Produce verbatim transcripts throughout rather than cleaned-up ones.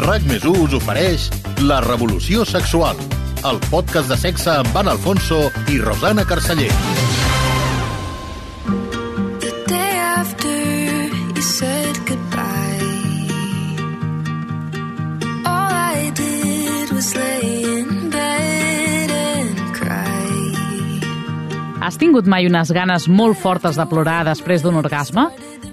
RAC més u us ofereix La Revolució Sexual, el podcast de sexe amb Anna Alfonso i Rosana Carceller. The day after you said goodbye, all I did was lay in bed and cry. Has tingut mai unes ganes molt fortes de plorar després d'un orgasme?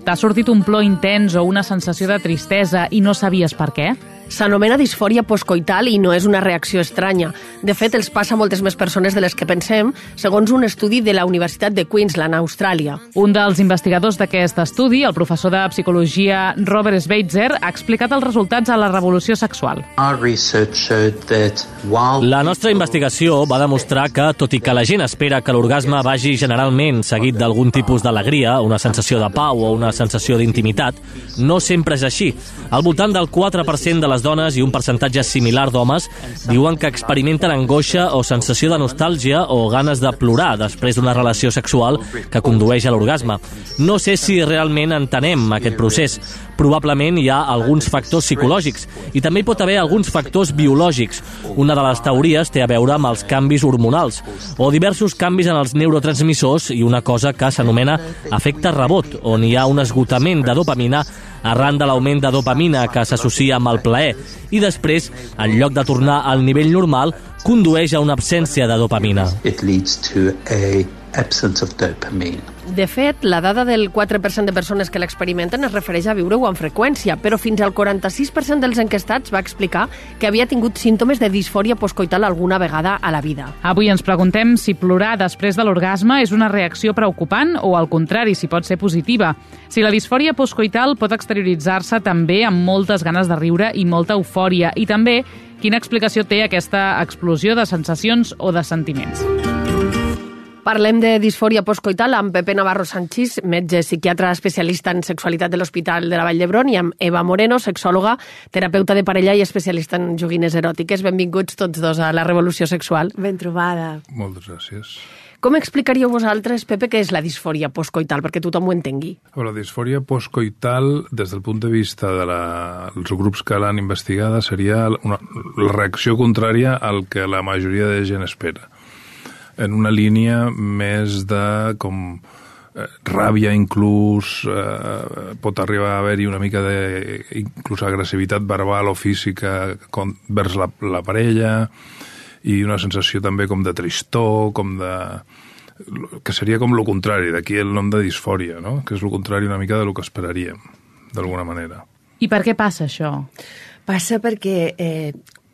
T'ha sortit un plor intens o una sensació de tristesa i no sabies per què? S'anomena disfòria postcoital i no és una reacció estranya. De fet, els passa a moltes més persones de les que pensem, segons un estudi de la Universitat de Queensland, a Austràlia. Un dels investigadors d'aquest estudi, el professor de psicologia Robert Schweitzer, ha explicat els resultats a La Revolució Sexual. La nostra investigació va demostrar que, tot i que la gent espera que l'orgasme vagi generalment seguit d'algun tipus d'alegria, una sensació de pau o una sensació d'intimitat, no sempre és així. Al voltant del quatre per cent de les dones i un percentatge similar d'homes diuen que experimenten angoixa o sensació de nostàlgia o ganes de plorar després d'una relació sexual que condueix a l'orgasme. No sé si realment entenem aquest procés. Probablement hi ha alguns factors psicològics i també hi pot haver alguns factors biològics. Una de les teories té a veure amb els canvis hormonals o diversos canvis en els neurotransmissors i una cosa que s'anomena efecte rebot, on hi ha un esgotament de dopamina arran de l'augment de dopamina que s'associa amb el plaer i després, en lloc de tornar al nivell normal, condueix a una absència de dopamina. It leads to a absence of dopamine. De fet, la dada del quatre per cent de persones que l'experimenten es refereix a viure-ho amb freqüència, però fins al quaranta-sis per cent dels enquestats va explicar que havia tingut símptomes de disfòria postcoital alguna vegada a la vida. Avui ens preguntem si plorar després de l'orgasme és una reacció preocupant o, al contrari, si pot ser positiva. Si la disfòria postcoital pot exterioritzar-se també amb moltes ganes de riure i molta eufòria, i també quina explicació té aquesta explosió de sensacions o de sentiments. Parlem de disfòria postcoital amb Pepe Navarro Sanchís, metge psiquiatre especialista en sexualitat de l'Hospital de la Vall d'Hebron, i amb Eva Moreno, sexòloga, terapeuta de parella i especialista en joguines eròtiques. Benvinguts tots dos a La Revolució Sexual. Ben trobada. Moltes gràcies. Com explicaríeu vosaltres, Pepe, què és la disfòria postcoital, perquè tothom ho entengui? La disfòria postcoital, des del punt de vista dels de grups que l'han investigada, seria una, la reacció contrària al que la majoria de gent espera. En una línia més de com eh, ràbia, inclús eh, pot arribar a haver-hi una mica de inclús agressivitat verbal o física com, vers la, la parella, i una sensació també com de tristor, com de que seria com lo contrari, d'aquí el nom de disfòria, no? Que és lo contrari una mica de lo que esperaríem, d'alguna manera. I per què passa això? Passa perquè eh,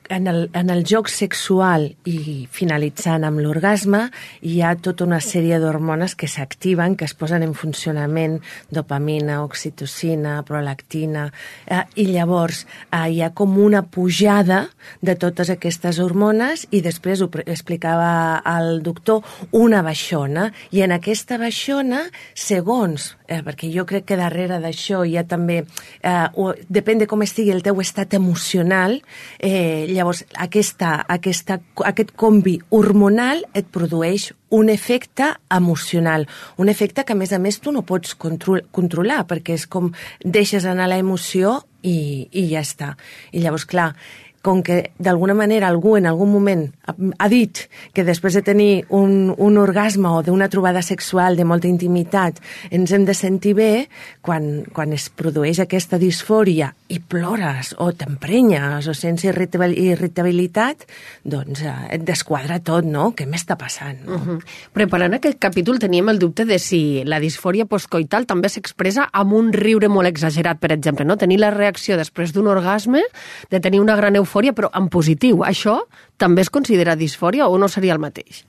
en el, en el joc sexual i finalitzant amb l'orgasme hi ha tota una sèrie d'hormones que s'activen, que es posen en funcionament, dopamina, oxitocina, prolactina, eh, i llavors eh, hi ha com una pujada de totes aquestes hormones i després, ho explicava el doctor, una baixona, i en aquesta baixona, segons, eh, perquè jo crec que darrere d'això hi ha també, eh, o, depèn de com estigui el teu estat emocional, eh, llavors aquesta, aquesta, aquest combi hormonal et produeix un efecte emocional, un efecte que a més a més tu no pots control, controlar, perquè és com deixes anar l'emoció i, i ja està. I llavors, clar, com que d'alguna manera algú en algun moment ha dit que després de tenir un, un orgasme o d'una trobada sexual de molta intimitat ens hem de sentir bé, quan, quan es produeix aquesta disfòria i plores o t'emprenyes o sents irritabilitat, doncs eh, et desquadra tot, no? Què m'està passant? No? Uh-huh. Preparant aquest capítol teníem el dubte de si la disfòria postcoital també s'expressa amb un riure molt exagerat, per exemple, no? Tenir la reacció després d'un orgasme, de tenir una gran eufòria, però en positiu. Això també es considera disfòria o no seria el mateix?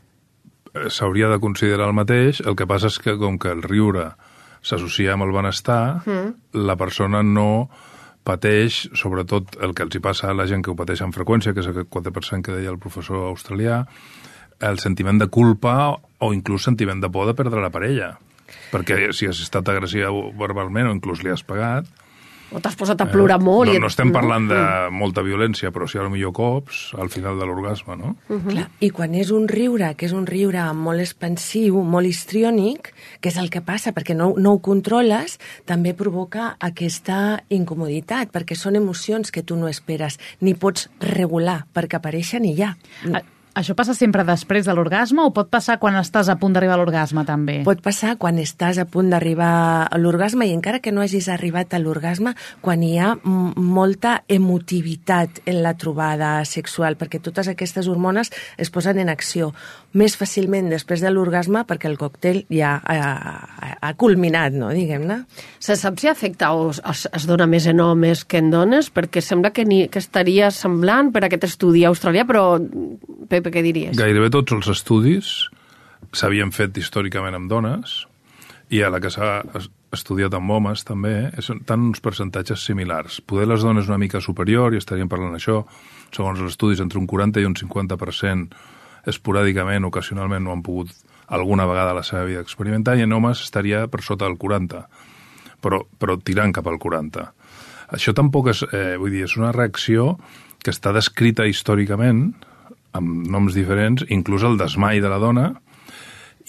S'hauria de considerar el mateix, el que passa és que com que el riure s'associa amb el benestar, mm. la persona no pateix, sobretot el que els hi passa a la gent que ho pateix amb freqüència, que és el quatre per cent que deia el professor australià, el sentiment de culpa o inclús sentiment de por de perdre la parella. Perquè si has estat agressiu verbalment o inclús li has pagat, O t'has posat a plorar eh, molt. No, i no estem parlant de molta violència, però sí, potser cops al final de l'orgasme, no? Uh-huh. Clar, i quan és un riure, que és un riure molt expansiu, molt histriònic, que és el que passa, perquè no, no ho controles, també provoca aquesta incomoditat, perquè són emocions que tu no esperes, ni pots regular, perquè apareixen i ja. A Això passa sempre després de l'orgasme o pot passar quan estàs a punt d'arribar a l'orgasme, també? Pot passar quan estàs a punt d'arribar a l'orgasme i encara que no hagis arribat a l'orgasme, quan hi ha molta emotivitat en la trobada sexual, perquè totes aquestes hormones es posen en acció més fàcilment després de l'orgasme perquè el còctel ja ha, ha, ha culminat, no? Diguem-ne. Se sap si afecta o es, es dona més en homes que en dones? Perquè sembla que, ni, que estaria semblant per aquest estudi australià, però Pepe, què diries? Gairebé tots els estudis s'havien fet històricament amb dones i a la que s'ha estudiat amb homes també estan uns percentatges similars. Poder les dones una mica superior, i estaríem parlant això, segons els estudis, entre un quaranta i un cinquanta per cent esporàdicament, ocasionalment no han pogut alguna vegada a la seva vida experimentar, i en homes estaria per sota del quaranta, però, però tirant cap al quaranta. Això tampoc és, eh, vull dir, és una reacció que està descrita històricament amb noms diferents, inclús el desmai de la dona,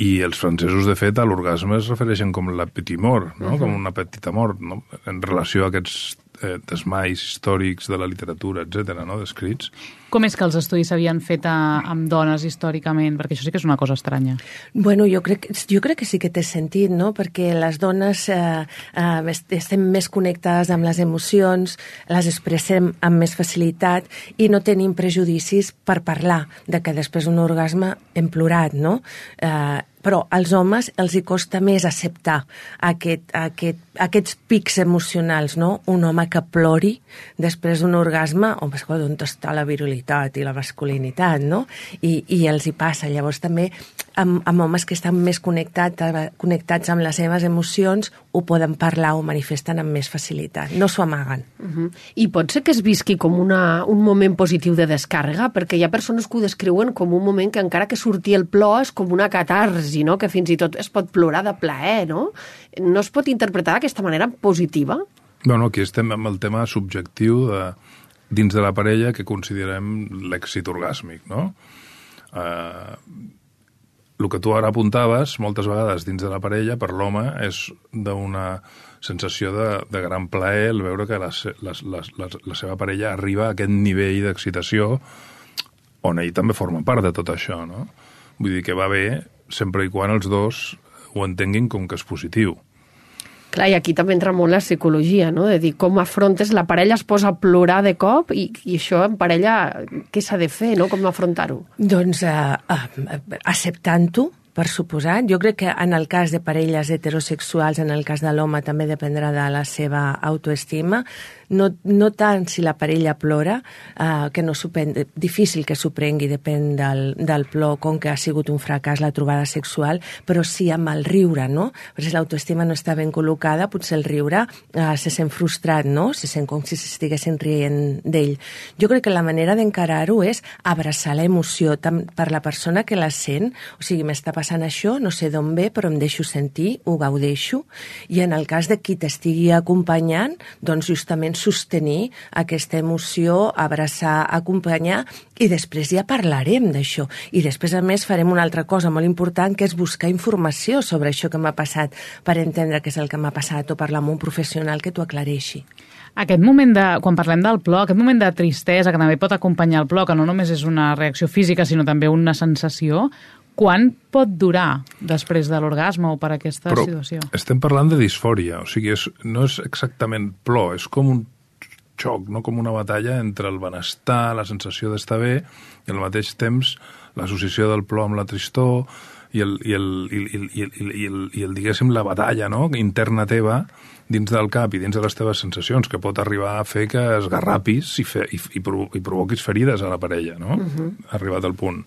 i els francesos, de fet, a l'orgasme es refereixen com la petit mort, no? Uh-huh. Com una petita mort, no? En relació a aquests eh, desmais històrics de la literatura, etcètera, no? Descrits. Com és que els estudis s'havien fet a, amb dones històricament? Perquè això sí que és una cosa estranya. Bueno, jo crec, jo crec que sí que té sentit, no? Perquè les dones eh, eh, estem més connectades amb les emocions, les expressem amb més facilitat i no tenim prejudicis per parlar de que després d'un orgasme hem plorat, no? Eh, però als homes els hi costa més acceptar aquest, aquest, aquests pics emocionals, no? Un home que plori després d'un orgasme, home, escolta, on està la virilitat i la masculinitat, no? I, i els hi passa. Llavors també amb, amb homes que estan més connectats, connectats amb les seves emocions ho poden parlar o manifesten amb més facilitat. No s'ho amaguen. Uh-huh. I pot ser que es visqui com una, un moment positiu de descàrrega, perquè hi ha persones que ho descriuen com un moment que encara que surti el plor és com una catarsi, no? Que fins i tot es pot plorar de plaer, no? No es pot interpretar d'aquesta manera positiva? Bueno, aquí estem amb el tema subjectiu de, dins de la parella que considerem l'èxit orgàsmic, no? Eh, el que tu ara apuntaves, moltes vegades dins de la parella, per l'home, és d'una sensació de, de gran plaer el veure que la, la, la, la, la seva parella arriba a aquest nivell d'excitació on ell també forma part de tot això, no? Vull dir que va bé sempre i quan els dos ho entenguin com que és positiu. Clar, i aquí també entra molt la psicologia, no? De dir, com afrontes, la parella es posa a plorar de cop i, i això en parella, què s'ha de fer, no? Com afrontar-ho? Doncs uh, uh, acceptant-ho, per suposat. Jo crec que en el cas de parelles heterosexuals, en el cas de l'home, també dependrà de la seva autoestima. No, no tant si la parella plora, eh, que no supen, difícil que s'ho prengui, depèn del, del plor, com que ha sigut un fracàs la trobada sexual, però sí amb el riure, no? Perquè si l'autoestima no està ben col·locada, potser el riure eh, se sent frustrat, no? Se sent com si s'estiguessin rient d'ell. Jo crec que la manera d'encarar-ho és abraçar l'emoció tant per la persona que la sent, o sigui, m'està passant això, no sé d'on ve, però em deixo sentir, ho gaudeixo, i en el cas de qui t'estigui acompanyant, doncs justament sostenir aquesta emoció, abraçar, acompanyar, i després ja parlarem d'això. I després, a més, farem una altra cosa molt important, que és buscar informació sobre això que m'ha passat, per entendre què és el que m'ha passat, o parlar amb un professional que t'ho aclareixi. Aquest moment de, quan parlem del plor, aquest moment de tristesa, que també pot acompanyar el plor, que no només és una reacció física, sinó també una sensació, quan pot durar després de l'orgasme o per aquesta Però situació? Estem parlant de disfòria, o sigui, és, no és exactament plor, és com un xoc, no? Com una batalla entre el benestar, la sensació d'estar bé, i al mateix temps l'associació del plor amb la tristor i el, i el, i el, i el, i el, i el diguéssim, la batalla, no? Interna teva dins del cap i dins de les teves sensacions, que pot arribar a fer que esgarrapis i, fe, i, i, provo i provoquis ferides a la parella, no? Uh-huh. Arribat al punt.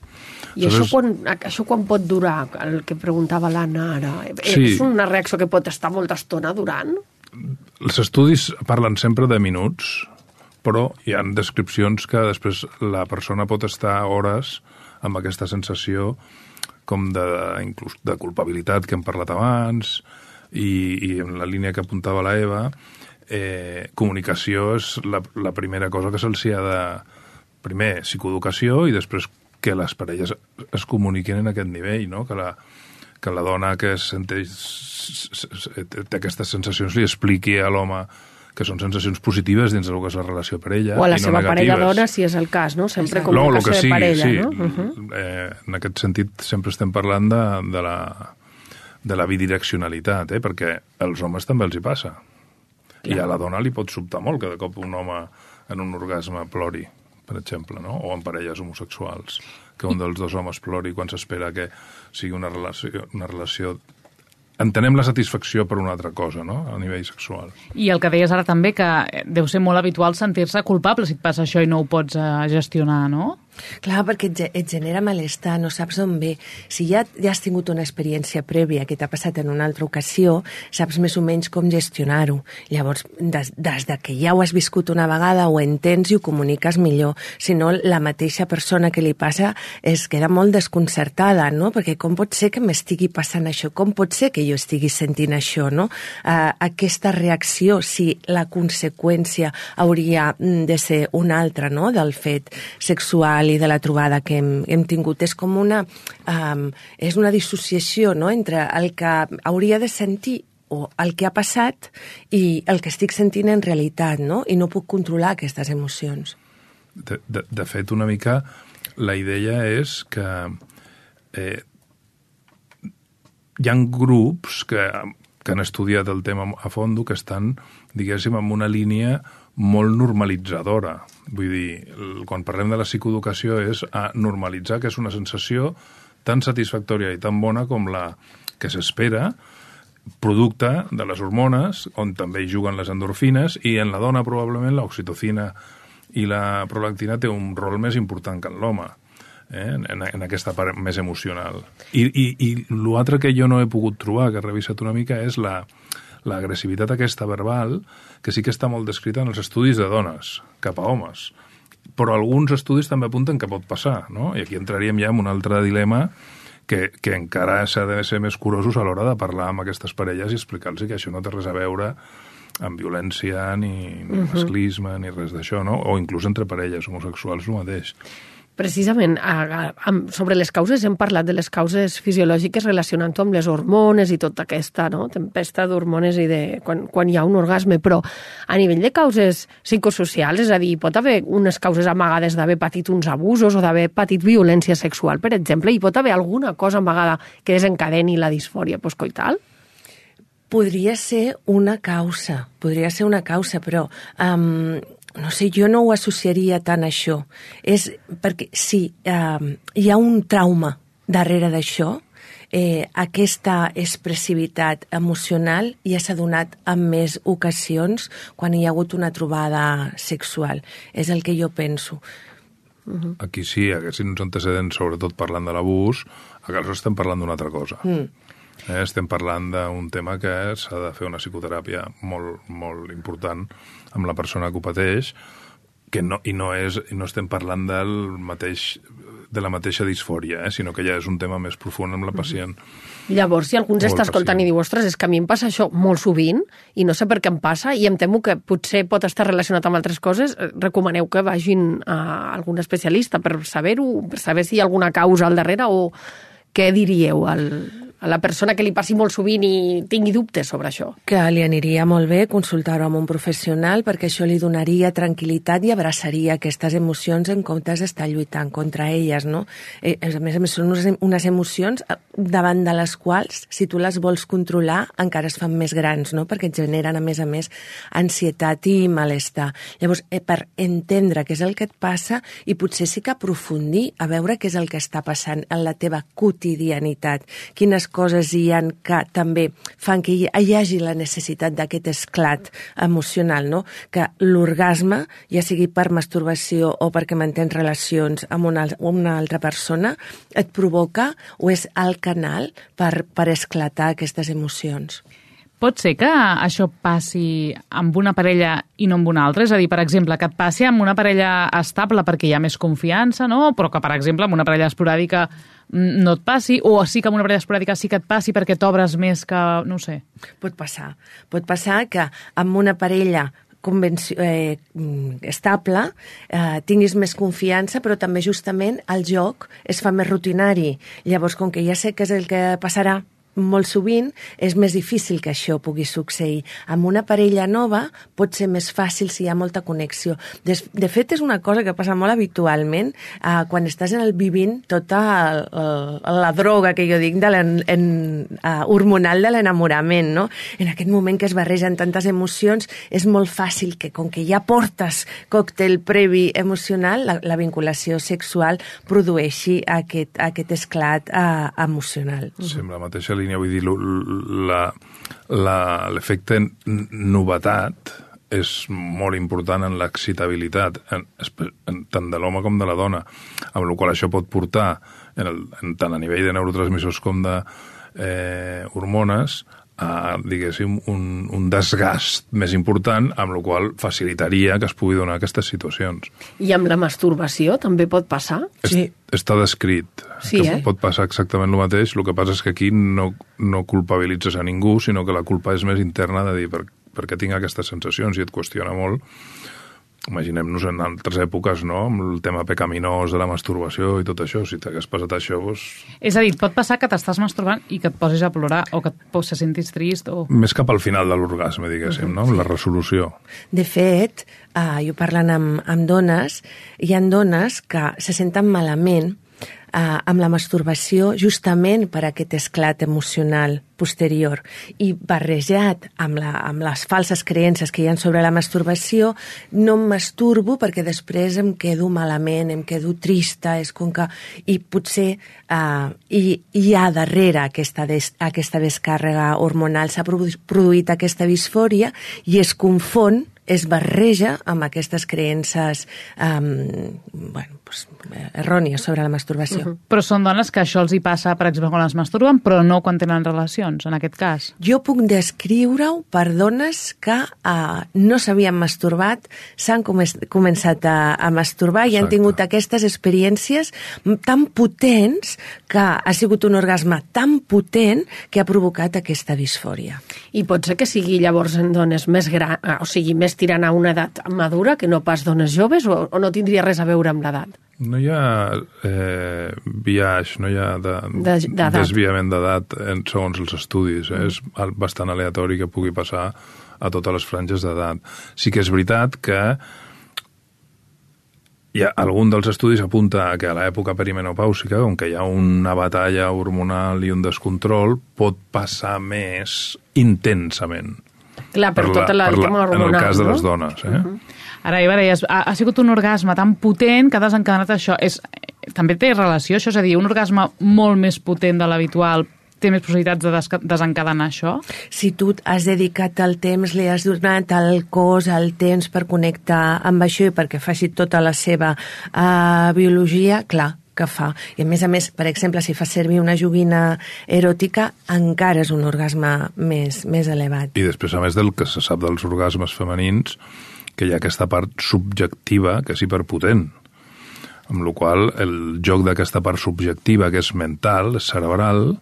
I Aleshores... això, quan, això quan pot durar? El que preguntava l'Anna ara. Sí. És una reacció que pot estar molta estona durant? Els estudis parlen sempre de minuts, però hi ha descripcions que després la persona pot estar hores amb aquesta sensació com de, inclús de culpabilitat que hem parlat abans, i, i en la línia que apuntava la Eva, eh, comunicació és la, la primera cosa que se'ls ha de... Primer, psicoeducació, i després que les parelles es comuniquin en aquest nivell, no? Que la, que la dona que senteix, té aquestes sensacions li expliqui a l'home que són sensacions positives dins del que és la relació parella, o a la i no seva negatives. parella dona, si és el cas, no? Sempre com no, un el cas que de sigui, parella, sí. no? Uh-huh. eh, en aquest sentit sempre estem parlant de, de, la, de la bidireccionalitat, eh? Perquè als homes també els hi passa. Clar. I a la dona li pot sobtar molt que de cop un home en un orgasme plori, per exemple, no? O en parelles homosexuals, que un dels dos homes plori quan s'espera que sigui una relació, una relació... Entenem la satisfacció per una altra cosa, no?, a nivell sexual. I el que deies ara també, que deu ser molt habitual sentir-se culpable si et passa això i no ho pots uh, gestionar, no? Clar, perquè et, et genera malestar, no saps on ve. Si ja, ja has tingut una experiència prèvia que t'ha passat en una altra ocasió, saps més o menys com gestionar-ho. Llavors, des, des de que ja ho has viscut una vegada, ho entens i ho comuniques millor. Si no, la mateixa persona que li passa es queda molt desconcertada, no? Perquè com pot ser que m'estigui passant això? Com pot ser que jo estigui sentint això, no? Uh, aquesta reacció, si la conseqüència hauria de ser una altra, no?, del fet sexual i de la trobada que hem, hem tingut. És com una, um, és una dissociació, no?, entre el que hauria de sentir o el que ha passat i el que estic sentint en realitat, no? I no puc controlar aquestes emocions. De, de, de fet, una mica, la idea és que eh, hi ha grups que, que han estudiat el tema a fondo, que estan, diguéssim, en una línia molt normalitzadora. Vull dir, quan parlem de la psicoeducació és a normalitzar que és una sensació tan satisfactòria i tan bona com la que s'espera, producte de les hormones, on també hi juguen les endorfines, i en la dona probablement l'oxitocina i la prolactina té un rol més important que en l'home, eh? en, en aquesta part més emocional. I, i, i l'altre que jo no he pogut trobar, que he revisat una mica, és la l'agressivitat aquesta verbal, que sí que està molt descrita en els estudis de dones, cap a homes. Però alguns estudis també apunten que pot passar, no? I aquí entraríem ja en un altre dilema que, que encara s'ha de ser més curosos a l'hora de parlar amb aquestes parelles i explicar-los que això no té res a veure amb violència, ni, ni uh-huh. masclisme, ni res d'això, no? O inclús entre parelles homosexuals el mateix. Precisament, a, a, sobre les causes hem parlat de les causes fisiològiques relacionant-ho amb les hormones i tota aquesta, no?, tempesta d'hormones i de quan, quan hi ha un orgasme, però a nivell de causes psicosocials, és a dir, pot haver unes causes amagades d'haver patit uns abusos o d'haver patit violència sexual, per exemple, i pot haver alguna cosa amagada que desencadeni la disfòria postcoital? Podria ser una causa, podria ser una causa, però... Um, no sé, jo no ho associaria tant a això. És perquè si eh, hi ha un trauma darrere d'això, eh, aquesta expressivitat emocional ja s'ha donat en més ocasions quan hi ha hagut una trobada sexual. És el que jo penso. Uh-huh. Aquí sí, haguessin uns antecedents, sobretot parlant de l'abús, a casa estem parlant d'una altra cosa. Mm. Eh, estem parlant d'un tema que s'ha de fer una psicoteràpia molt, molt important amb la persona que ho pateix, que no, i, no és, i no estem parlant del mateix, de la mateixa disfòria, eh, sinó que ja és un tema més profund amb la pacient. Llavors, si algú ens està escoltant i diu, ostres, és que a mi em passa això molt sovint i no sé per què em passa i em temo que potser pot estar relacionat amb altres coses, recomaneu que vagin a algun especialista per saber-ho, per saber si hi ha alguna causa al darrere, o què diríeu al... a la persona que li passi molt sovint i tingui dubtes sobre això? Que li aniria molt bé consultar-ho amb un professional, perquè això li donaria tranquil·litat i abraçaria aquestes emocions en comptes d'estar lluitant contra elles, no? Eh, a més a més, són unes, unes emocions davant de les quals, si tu les vols controlar, encara es fan més grans, no? Perquè et generen, a més a més, ansietat i malestar. Llavors, eh, per entendre què és el que et passa i potser sí que aprofundir a veure què és el que està passant en la teva quotidianitat, quines coses hi ha que també fan que hi hagi la necessitat d'aquest esclat emocional, no? Que l'orgasme, ja sigui per masturbació o perquè mantens relacions amb una, una altra persona, et provoca o és el canal per, per esclatar aquestes emocions. Pot ser que això passi amb una parella i no amb una altra? És a dir, per exemple, que et passi amb una parella estable perquè hi ha més confiança, no? Però que, per exemple, amb una parella esporàdica no et passi, o sí que amb una parella esporàdica sí que et passi perquè t'obres més que... no ho sé. Pot passar. Pot passar que amb una parella convenci... eh, estable eh, tinguis més confiança, però també justament el joc es fa més rutinari. Llavors, com que ja sé que és el que passarà molt sovint, és més difícil que això pugui succeir. Amb una parella nova pot ser més fàcil si hi ha molta connexió. De, de fet, és una cosa que passa molt habitualment eh, quan estàs en el vivint tota el, el, la droga, que jo dic, de en, en, uh, hormonal de l'enamorament, no? En aquest moment que es barregen tantes emocions, és molt fàcil que, com que ja portes còctel previ emocional, la, la vinculació sexual produeixi aquest, aquest esclat uh, emocional. Sí, amb la mateixa línia, vull dir, l'efecte novetat és molt important en l'excitabilitat, en, en, tant de l'home com de la dona, amb la qual això pot portar, en el, en, tant a nivell de neurotransmissors com de eh, hormones, a, diguéssim, un, un desgast més important, amb la qual facilitaria que es pugui donar aquestes situacions. I amb la masturbació també pot passar? Sí. Està descrit. Sí, que eh? pot passar exactament el mateix, el que passa és que aquí no, no culpabilitzes a ningú, sinó que la culpa és més interna de dir per, per què tinc aquestes sensacions, i et qüestiona molt. Imaginem-nos en altres èpoques, no?, amb el tema pecaminós de la masturbació i tot això. Si t'hagués passat això, doncs... És a dir, pot passar que t'estàs masturbant i que et posis a plorar o que et se sentis trist o... Més cap al final de l'orgasme, diguéssim, no?, amb la resolució. De fet, uh, jo parlant amb, amb dones, hi ha dones que se senten malament Uh, amb la masturbació justament per aquest esclat emocional posterior, i barrejat amb, la, amb les falses creences que hi ha sobre la masturbació, no em masturbo perquè després em quedo malament, em quedo trista, és com que... I potser uh, hi, hi ha darrere aquesta, des, aquesta descàrrega hormonal, s'ha produït aquesta disfòria i es confon, es barreja amb aquestes creences um, bueno, pues, errònies sobre la masturbació. Uh-huh. Però són dones que això els hi passa, per exemple, quan es masturben, però no quan tenen relacions, en aquest cas. Jo puc descriure-ho per dones que uh, no s'havien masturbat, s'han com començat a, a masturbar. Exacte. I han tingut aquestes experiències tan potents que ha sigut un orgasme tan potent que ha provocat aquesta disfòria. I pot ser que sigui llavors en dones més grans, o sigui, més tirant a una edat madura que no pas dones joves, o, o no tindria res a veure amb l'edat? No hi ha eh, viatge, no hi ha de, de, desviament d'edat segons els estudis. Eh? És bastant aleatori que pugui passar a totes les franges d'edat. Sí que és veritat que hi ha, algun dels estudis apunta que a l'època perimenopàusica, on que hi ha una batalla hormonal i un descontrol, pot passar més intensament. Clar, per, per tota la, per el tema hormonal, en el cas no? de les dones, eh? Uh-huh. Ara, Eva, deies, ha, ha sigut un orgasme tan potent que ha desencadenat això. És, també té relació, això? És a dir, un orgasme molt més potent de l'habitual té més possibilitats de des desencadenar això? Si tu has dedicat el temps, li has donat el cos, el temps per connectar amb això i perquè faci tota la seva uh, biologia, clar, que fa. I a més a més, per exemple, si fa servir una joguina eròtica, encara és un orgasme més, més elevat. I després, a més del que se sap dels orgasmes femenins, que hi ha aquesta part subjectiva que és hiperpotent, amb la qual el joc d'aquesta part subjectiva, que és mental, cerebral,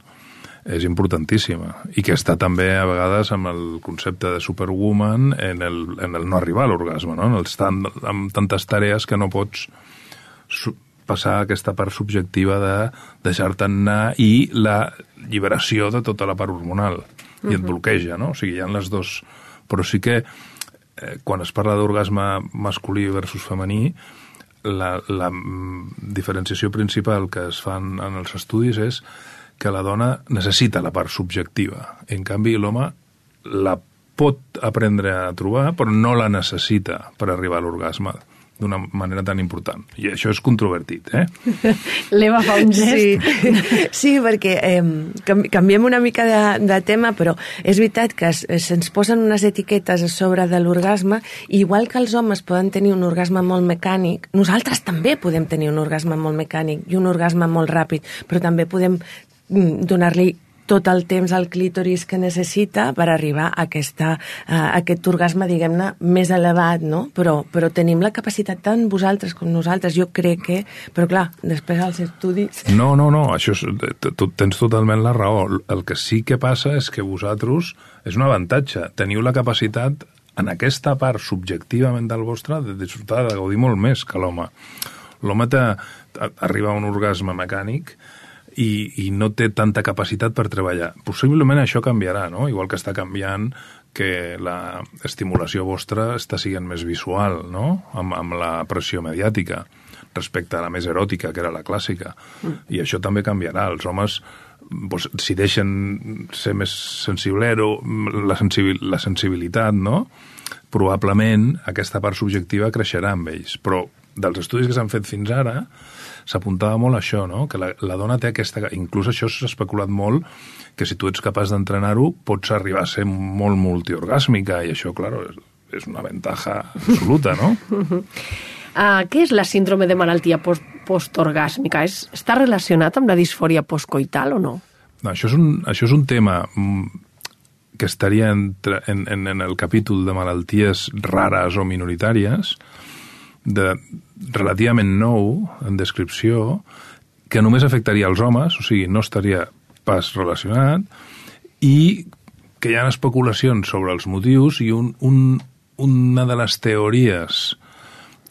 és importantíssima, i que està també a vegades amb el concepte de superwoman en el, en el no arribar a l'orgasme, no? En el estar amb tantes tarees que no pots passar aquesta part subjectiva de deixar-te'n anar i la lliberació de tota la part hormonal, i et bloqueja, no? O sigui, hi ha les dos... Però sí que eh, quan es parla d'orgasme masculí versus femení, la, la diferenciació principal que es fan en els estudis és que la dona necessita la part subjectiva. En canvi, l'home la pot aprendre a trobar, però no la necessita per arribar a l'orgasme d'una manera tan important. I això és controvertit, eh? L'Eva fa un gest. Sí, sí, perquè eh, canviem una mica de, de tema, però és veritat que es, se'ns posen unes etiquetes a sobre de l'orgasme, igual que els homes poden tenir un orgasme molt mecànic, nosaltres també podem tenir un orgasme molt mecànic i un orgasme molt ràpid, però també podem donar-li tot el temps al clítoris que necessita per arribar a, aquesta, a aquest orgasme, diguem-ne, més elevat, no? Però, però tenim la capacitat tant vosaltres com nosaltres, jo crec que... Però clar, després als estudis... No, no, no, això és, tu tens totalment la raó. El que sí que passa és que vosaltres, és un avantatge, teniu la capacitat en aquesta part subjectivament del vostre de disfrutar, de gaudir molt més que l'home. L'home arriba a un orgasme mecànic i, i no té tanta capacitat per treballar. Possiblement això canviarà, no? Igual que està canviant que la estimulació vostra està sent més visual, no? Amb, amb la pressió mediàtica respecte a la més eròtica, que era la clàssica. Mm. I això també canviarà. Els homes, doncs, si deixen ser més sensiblero, la, sensibil, la sensibilitat, no? Probablement aquesta part subjectiva creixerà amb ells. Però dels estudis que s'han fet fins ara, s'apuntava molt a això, no? Que la, la dona té aquesta... Inclús això s'ha especulat molt, que si tu ets capaç d'entrenar-ho, pots arribar a ser molt multiorgàsmica, i això, clar, és, és una ventaja absoluta, no? Uh, què és la síndrome de malaltia post postorgàsmica? És, està relacionat amb la disfòria postcoital o no? No, això és un, això és un tema que estaria entre, en, en, en el capítol de malalties rares o minoritàries, de relativament nou en descripció, que només afectaria els homes, o sigui, no estaria pas relacionat, i que hi ha especulacions sobre els motius, i un, un, una de les teories,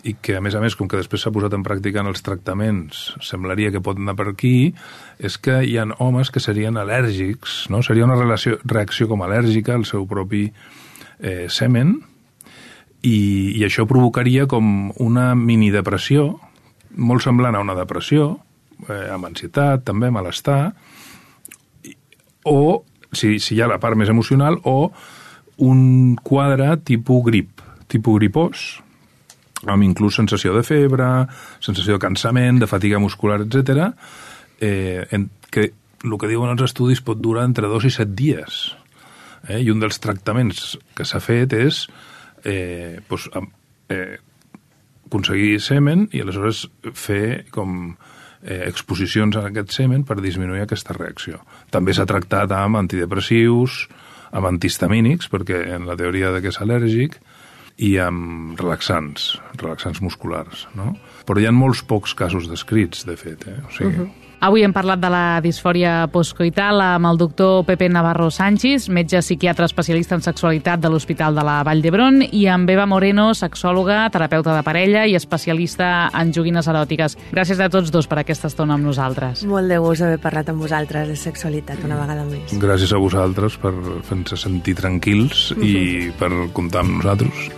i que a més a més, com que després s'ha posat en pràctica en els tractaments, semblaria que pot anar per aquí, és que hi ha homes que serien al·lèrgics, no? Seria una relació, reacció com al·lèrgica al seu propi eh, semen, I, i això provocaria com una mini-depressió, molt semblant a una depressió, eh, amb ansietat, també, malestar, o, si, si hi ha la part més emocional, o un quadre tipus grip, tipus gripós, amb inclús sensació de febre, sensació de cansament, de fatiga muscular, etcètera, eh, en, que el que diuen els estudis pot durar entre dos i set dies. Eh? I un dels tractaments que s'ha fet és Eh, pues, eh, aconseguir semen i aleshores fer com eh, exposicions a aquest semen per disminuir aquesta reacció. També s'ha tractat amb antidepressius, amb antihistamínics, perquè en la teoria de que és al·lèrgic, i amb relaxants, relaxants musculars, no? Però hi ha molts pocs casos descrits, de fet, eh? O sigui... Uh-huh. Avui hem parlat de la disfòria postcoital amb el doctor Pepe Navarro Sánchez, metge psiquiatre especialista en sexualitat de l'Hospital de la Vall d'Hebron, i amb Eva Moreno, sexòloga, terapeuta de parella i especialista en joguines eròtiques. Gràcies a tots dos per aquesta estona amb nosaltres. Molt de gust haver parlat amb vosaltres de sexualitat una vegada més. Gràcies a vosaltres per fer-nos sentir tranquils uh-huh. i per comptar amb nosaltres.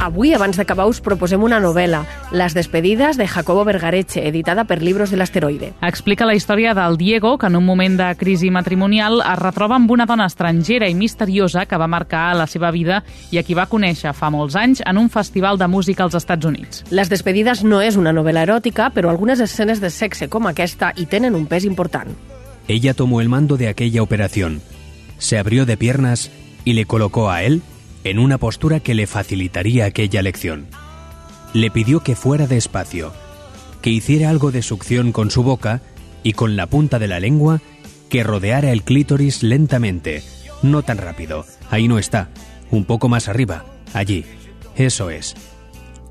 Avui, abans d'acabar, us proposem una novel·la, Les despedides de Jacobo Vergareche, editada per Libros del Asteroide. Explica la història del Diego, que en un moment de crisi matrimonial es retroba amb una dona estrangera i misteriosa que va marcar la seva vida i a qui va conèixer fa molts anys en un festival de música als Estats Units. Les despedides no és una novel·la eròtica, però algunes escenes de sexe com aquesta hi tenen un pes important. Ella tomó el mando de aquella operación, se abrió de piernas y le colocó a él en una postura que le facilitaría aquella lección. Le pidió que fuera despacio, que hiciera algo de succión con su boca y con la punta de la lengua que rodeara el clítoris lentamente, no tan rápido. Ahí no está, un poco más arriba, allí. Eso es.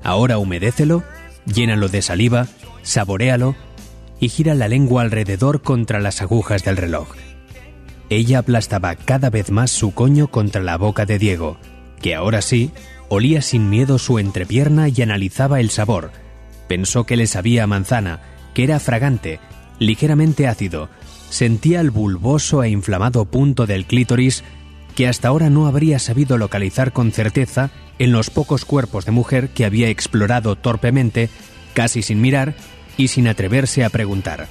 Ahora humedécelo, llénalo de saliva, saboréalo y gira la lengua alrededor contra las agujas del reloj. Ella aplastaba cada vez más su coño contra la boca de Diego, que ahora sí, olía sin miedo su entrepierna y analizaba el sabor. Pensó que le sabía a manzana, que era fragante, ligeramente ácido. Sentía el bulboso e inflamado punto del clítoris que hasta ahora no habría sabido localizar con certeza en los pocos cuerpos de mujer que había explorado torpemente, casi sin mirar y sin atreverse a preguntar.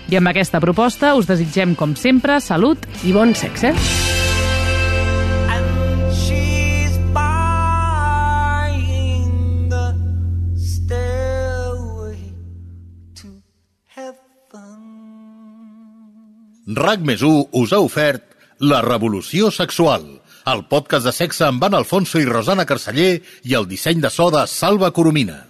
I amb aquesta proposta us desitgem, com sempre, salut i bon sexe. RAC més u us ha ofert La revolució sexual, el podcast de sexe amb Van Alfonso i Rosana Carceller i el disseny de so de Salva Coromina.